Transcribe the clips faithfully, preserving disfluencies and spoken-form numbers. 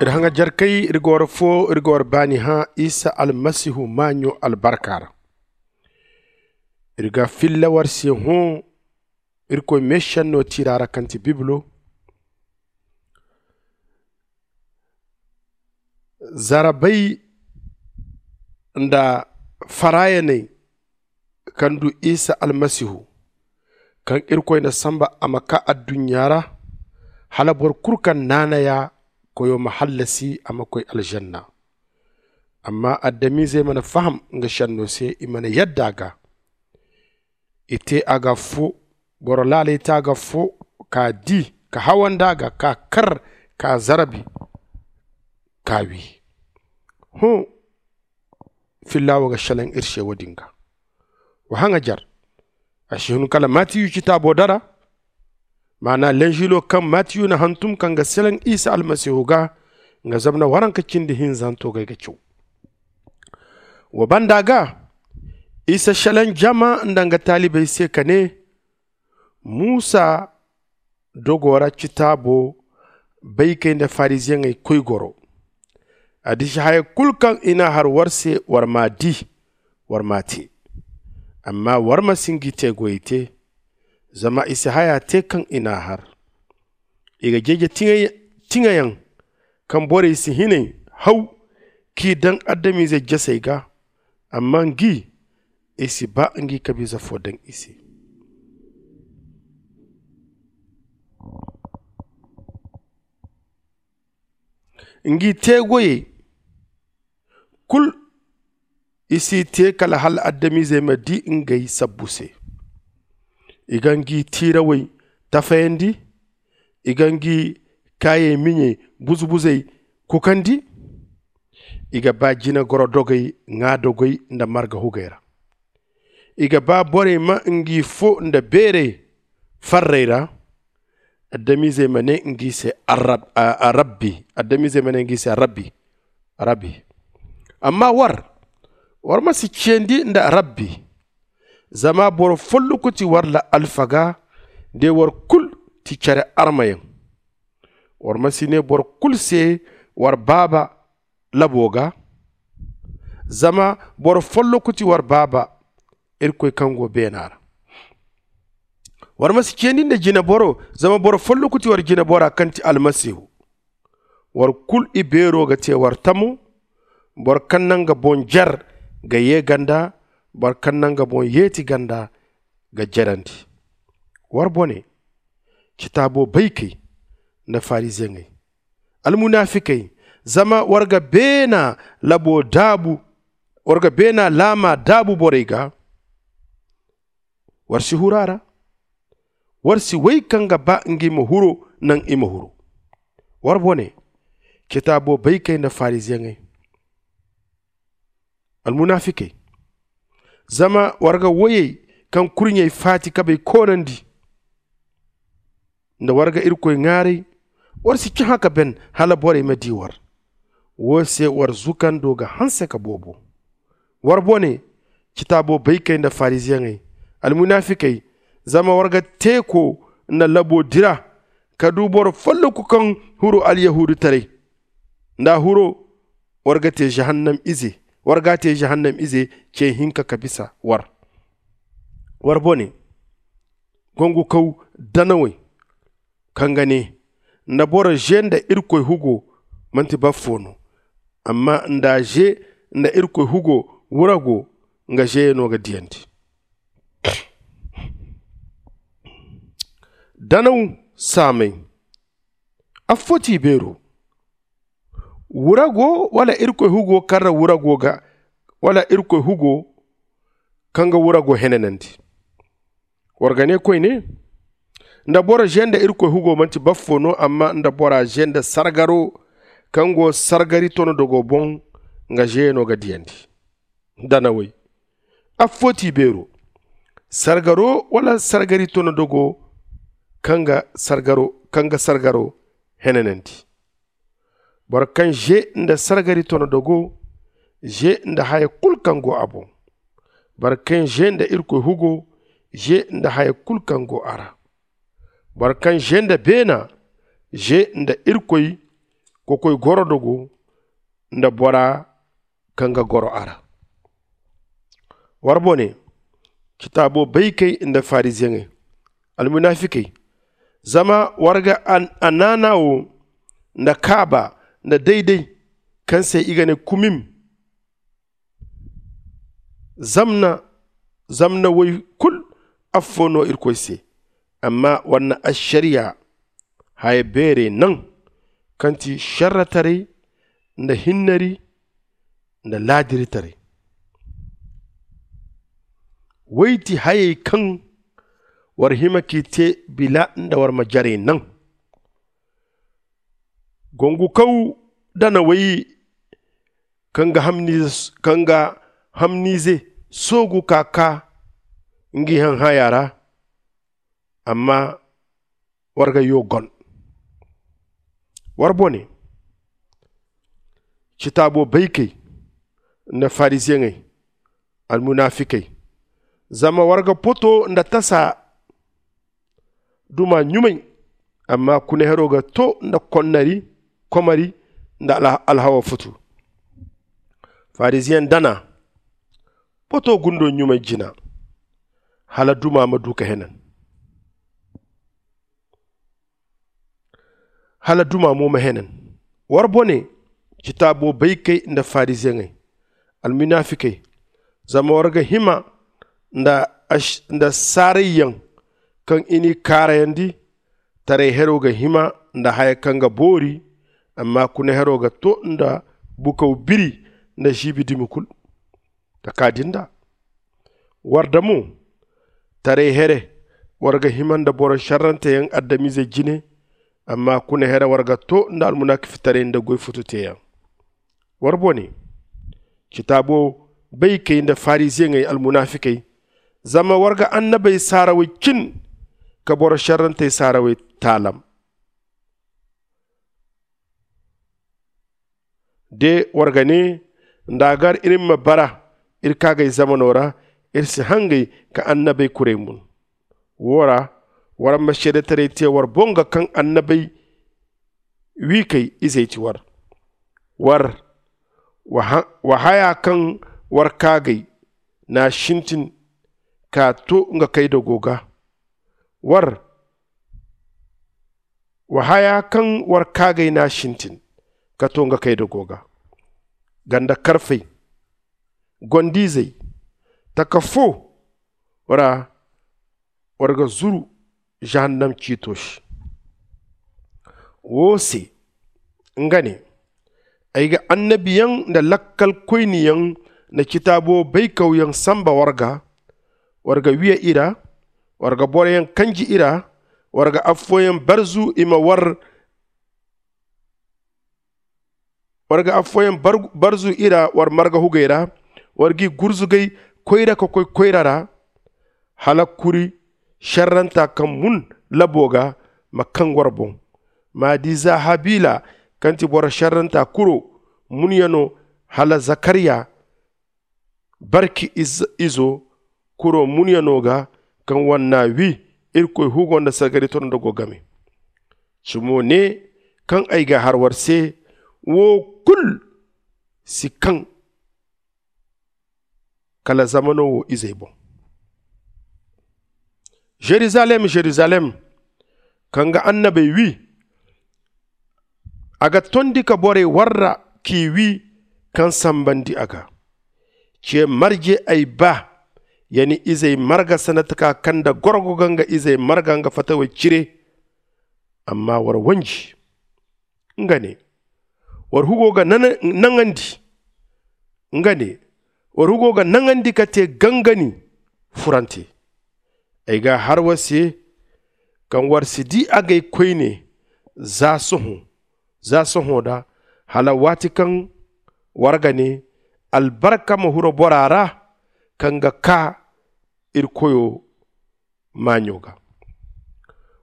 Iri haŋajarkey, iri ga war fo, iri ga war baani hã isa almasihu maaɲo albarka ra. Iri ga filla war se hõ irkoy meešenno tiira ra kaŋ ti bibilo. Zarabey nda faraayaney kaŋ du isa almasihu, kaŋ irkoy na samba a ma kaa adduɲɲa ra, hala boro kulu kaŋ naanaya koyo ma hallasi a ma koy alžanna. Amma adamizey mana faham nga šenno se, i mana yadda a ga. I te a ga fo, boro laaley te a ga fo, ka di, ka hawandi a ga, ka kar, ka zarabi, ka wi. Hõ, filla wo ga šelaŋ iri se wo- din ga. Wa haŋajar, a si hun kala matiyu citaabo dara, maana lenžilo kaŋ matiyu na hantum kaŋ ga selaŋ isa almasihu ga, nga zabna waranka cindi hinzanto ga ay ga caw. Wa banda ga, isa selaŋ jama nda nga taalibey se ka ne, musa dogo ra citaabo baykey nda fariziyeŋey koy goro. A disi haya kulu kaŋ i n'a har war se, war m'a di, war m'a te. Amma war ma si ngi te-goyey te, zama i si haya te kaŋ i n'a har. I ga jeeje tiŋayaŋ kaŋ borey si hinay haw k'i daŋ adamize jasey ga, amma ngi i si ba ngi kabiza fo daŋ i se. Ngi teegoyey kulu i si te kala hala adamizey ma di ngey sabbu se. I ga ngi tiirawey tafayandi, i ga ngi kaayey miɲey buzu-buzey kukandi. I ga ba jina goro dogey ŋwa dogey nda marga hugey ra. I ga ba borey ma ngi fo nda beerey farrey ra. Adamizey ma ne ngi se arab- a- a- rabbi adamizey ma ne ngi se rabbi rabbi. Amma war war ma si ciyandi nda rabbi. Zama boro folloku ti war la alfaga de war kulu ti care armayaŋ. War ma si ne boro kulu se war baaba labo ga. Zama boro folloku ti war baaba irkoy kaŋ go beena ra. War ma si ciyandi nda jineboro, zama boro folloku ti war jinebora kaŋ ti almasihu. War kulu ibeero ga te war tamo. Boro kaŋ na nga boŋ jer ga ye ganda, boro kaŋ na nga boŋ yeeti ganda ga jerandi. War bone, citaabo baykey nda fariziyeŋey, almunafikey, zama war ga beena labo daabu, war ga beena laama daabu borey ga. War si huru a ra. War si wey kaŋ ga ba ngi ma huro naŋ i ma huro. War bone, citaabo baykey nda fariziyeŋey, almunafikey, zama war ga woyey kaŋ kurɲey faati kabey koonandi. Nda war ga irkoy ŋaaray, war si cahã ka ben hala borey ma di war. Wo se war zukando ga hanse ka boobo. War bone, citaabo baykey nda fariziyeŋey, almunafikey, zama war ga teeko nda labo dira ka du boro folloku kaŋ huru alyahuudutaray. Nda a huro, war ga te jahannam ize war ga te jahannam ize ce hinka ka bisa war. War bone, gongukaw danawey, kaŋ ga ne, nda boro ze nda irkoy hugo, manti baffo no. Amma nda a ze nda irkoy hugo wurago, nga zeyaŋo ga diyandi. Danaw saamey, affo ti i beero. Wurago wala irkoy hugo kaŋ ra wurago ga wala irkoy hugo kaŋ ga wurago henanandi. War ga ne koyne, nda boro ze nda irkoy hugo manti baffo no, amma nda bora ze nda sargaro kaŋ go sargari tono dogo boŋ, nga zeyaŋo ga diyandi. Danawey, affo ti beero. Sargaro wala sargari tono dogo kaŋ ga sargaro kaŋ ga sargaro henanandi. Boro kaŋ ze nda sargari tono dogo, ze nda haya kulu kaŋ go a boŋ. Boro kaŋ ze nda irkoy hugo, ze nda haya kulu kaŋ go a ra. Boro kaŋ ze nda beena, ze nda irkoy kokoy gorodogo nda bora kaŋ ga goro a ra. War bone, citaabo baykey nda fariziyeŋey, almunafikey, zama war ga anaana wo nda kaaba nda dayday kaŋ se i ga ne kumim. Zamna zamna woy kul affo no irkoy se. Amma war na ašariya haya beerey naŋ, kaŋ ti šerretaray nda hinnari nda laadiritaray. Woy ti hayey kaŋ war hima k'i te bila nda war ma jarey naŋ. Gongukaw danawey kaŋ ga hamniize kaŋ ga hamniize soogu ka kaa ngi haŋ haya ra. Amma war ga yoo gon. War bone, citaabo baykey nda fariziyeŋey, almunafikey, zama war ga poto nda tasa duma ɲumay. Amma kunehero ga to nda konnari komari nda alhawa futu. Fariziyeŋ dana poto gundo ɲumay jina, hala duma ma du ka henan. Hala duma mo ma henan. War bone, citaabo baykey nda fariziyeŋey, almunafikey, zama war ga hima nda saarayyaŋ kaŋ i n'i kaarayandi. Taray hero ga hima nda haya kaŋ ga boori. Amma kuna hero ga to nda bukaw biri nda žiibi dumi kulu. Ka kaa din da war da mo taray here, war ga hima nda boro šerranteyaŋ adamize jine. Amma kuna here war ga to nda almunakifitaray nda goy fututeyaŋ. War bone, citaabo baykey nda fariziyeŋey almunafikey, zama war ga annabey saarawey cin ka boro šerrantey saarawey taalam. De war ga ne nda a gar iri ma bara iri kaagay zamano ra, iri si hangay ka annabey kuray mun. Wo ra war ma seedetaray te war boŋ ga kaŋ annabey wiikey izey ti war. War wa haya kaŋ war kaagay n'a sintin ka to nga kaydago ga. War wa haya kaŋ war kaagay n'a sintin ka to nga kaydago ga. Ganda karfey, gonda-izey, taka fo ra war ga zuru žahannam ciito se. Wo se nga ne, ay ga annabiyaŋ nda lakkal koyniyaŋ nda citaabo baykawyaŋ samba war ga. War ga wiya i ra. War ga boroyaŋ kanji i ra. War ga affooyaŋ barzu i ma war war ga affooyaŋ barzu i ra war marga hugey ra. War g'i gurzugay koyra ka koy koyra ra. Hala kuri šerranta kaŋ mun labo ga ma kaŋ war boŋ. Ma di za habila kaŋ ti boro šerranta kuro munyano, hala zakariya barki izo kuro munyano ga, kaŋ war n'a wi irkoy hugo nda sargari tondo go game. Cimo ne kaŋ ay ga har war se wo kulu si kaŋ kala zamano wo izey boŋ. Žerizalem, žerizalem, kaŋ ga annabey wi, a ga tondi ka borey warra k'i wi kaŋ sambandi a ga. Ce marje ay ba ya ni izey marga sanda taka kaŋ nda gorgo ga nga izey marga nga fatawey cire. Amma war wanji nga ne, war hugo ga naŋandi nga ne, war hugo ga naŋandi ka te gangani furante. Ay ga har war se kaŋ war si di agay koyne za sohõ za sohõ da, hala waati kaŋ war ga ne, albarka ma huro bora ra kaŋ ga kaa iri koyo maaɲo ga.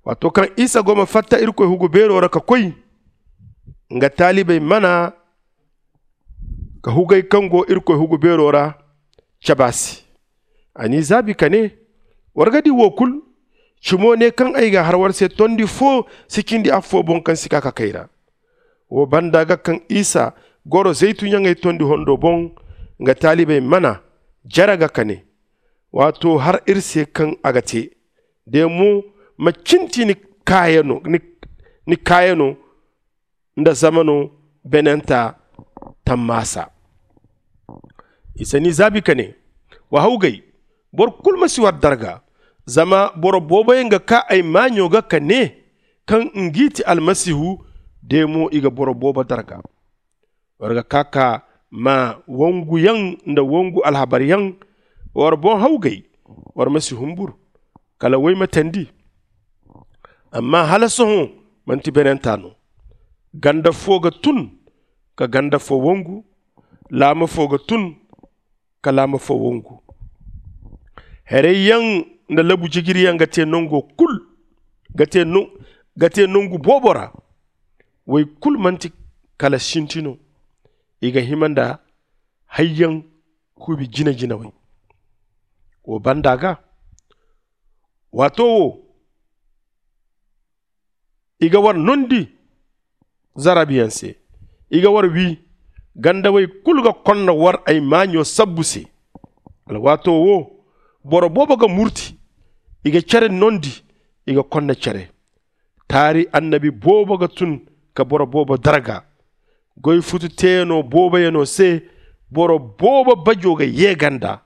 Waato kaŋ isa go ma fatta irkoy hugu beero ra ka koy, nga taalibey mana ka hugey kaŋ go irkoy hugu beero ra cabe a se. A n'i zaabi ka ne, war ga di wo kulu. Cimo ne kaŋ ay ga har war se tondi fo si cindi affo boŋ kaŋ si ka ka kay ra. Wo banda ga kaŋ isa goro zaytunyaŋey tondi hondo boŋ, nga taalibey mana jare ga ka ne, waato har iri se kaŋ a ga te, de mo ma cinti ni kaayano nda zamano benenta tammaasa. Isa n'i zaabi ka ne, wa hawgay, boro kulu ma si war darga. Zama boro booboyaŋ ga kaa ay maaɲo ga ka ne, kaŋ ngi ti almasihu, de mo i ga boro boobo darga. War ga kaa ka maa wonguyaŋ nda wongu alhabaryaŋ. War boŋ hawgay, war ma si humbur kala woymatandi. Amma hala sohõ manti benenta no. Ganda fo ga tun ka ganda fo wongu. Laama fo ga tun ka laama fo wongu. Herayyaŋ nda labu jijiriyaŋ ga te nango kul ga te nangu boobo ra. Woy kulu manti kala sinti no. I ga hima nda hayyaŋ kuubi jina-jinawey. Wo banda ga waato wo i ga war nondi zarabiyaŋ se. I ga war wi gandawey kulu ga konda war ay maaɲo sabbu se. Alwaato wo boro boobo ga murti. I ga care nondi. I ga konda care. Taari annabi boobo ga tun ka boro boobo darga. Goy futu teeyanoo booboyanoo se boro boobo bajoo ga yee ganda.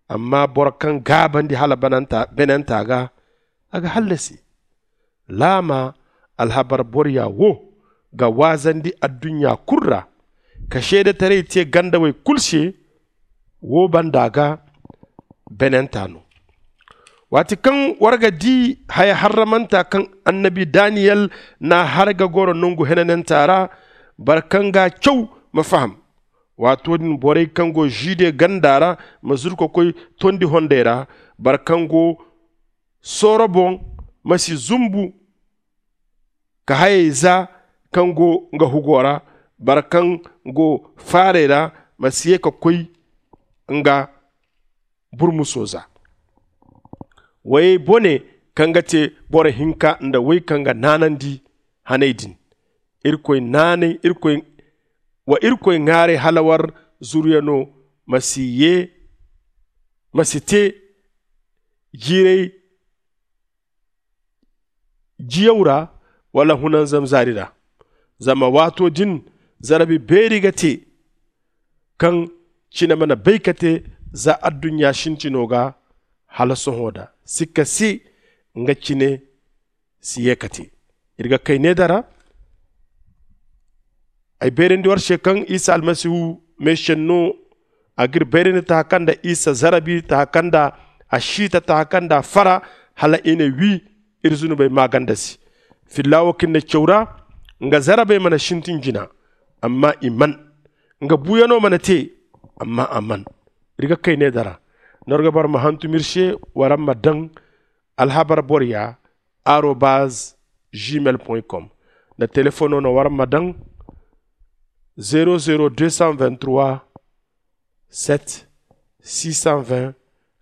Amma boro kaŋ gaabandi hala benenta ga a ga hallasi. Laama alhabar boroya wo ga waazandi adduɲɲa kul ra ka seedetaray tee gandawey kul se. Wo banda ga benenta no. Waati kaŋ war ga dii haya harramanta kaŋ annabi daniyel n'a har ga goro nongu henanenta ra, boro kaŋ g'a caw ma faham. Waato din borey kaŋ go žude ganda ra ma zuru ka koy tondi hondey ra. Boro kaŋ go sooro boŋ ma si zumbu ka hayey za kaŋ go nga hugo ra. Boro kaŋ go faarey ra ma si ye ka koy nga burmuso za. Woyey bone kaŋ ga te boro hinka nda woy kaŋ ga naanandi haney din. Wa irkoy ŋaaray hala war zuruyano ma si ye ma si te jiiray jiyaw ra wala hunanzam zaari ra. Zama waato din zarabi beeri ga te kaŋ cine mana bay ka te za adduɲɲa sintino ga hala sohõ da sikka si nga cine si ye ka te. Iri ga kay ne dara ay bayrandi war se kaŋ isa almasihu meesenno a ga iri bayrandi taha kaŋ nda isa zarabi taha kaŋ nda a siita taha kaŋ nda a fara hala i na wi iri zunubey maaganda se. Filla wo kaŋ iri na caw ra nga zarabey mana sintin jina amma i man. Nga buuyano mana te amma a man. Iri ga kay ne dara nda war ga bara ma hantum iri se waraŋ ma daŋ alhabar boroya arobaz gmail com. Nda telefono no waraŋ ma daŋ zero zero deux cent vingt-trois sept six cent vingt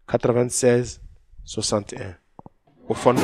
quatre-vingt-seize soixante et un. Wa fondo.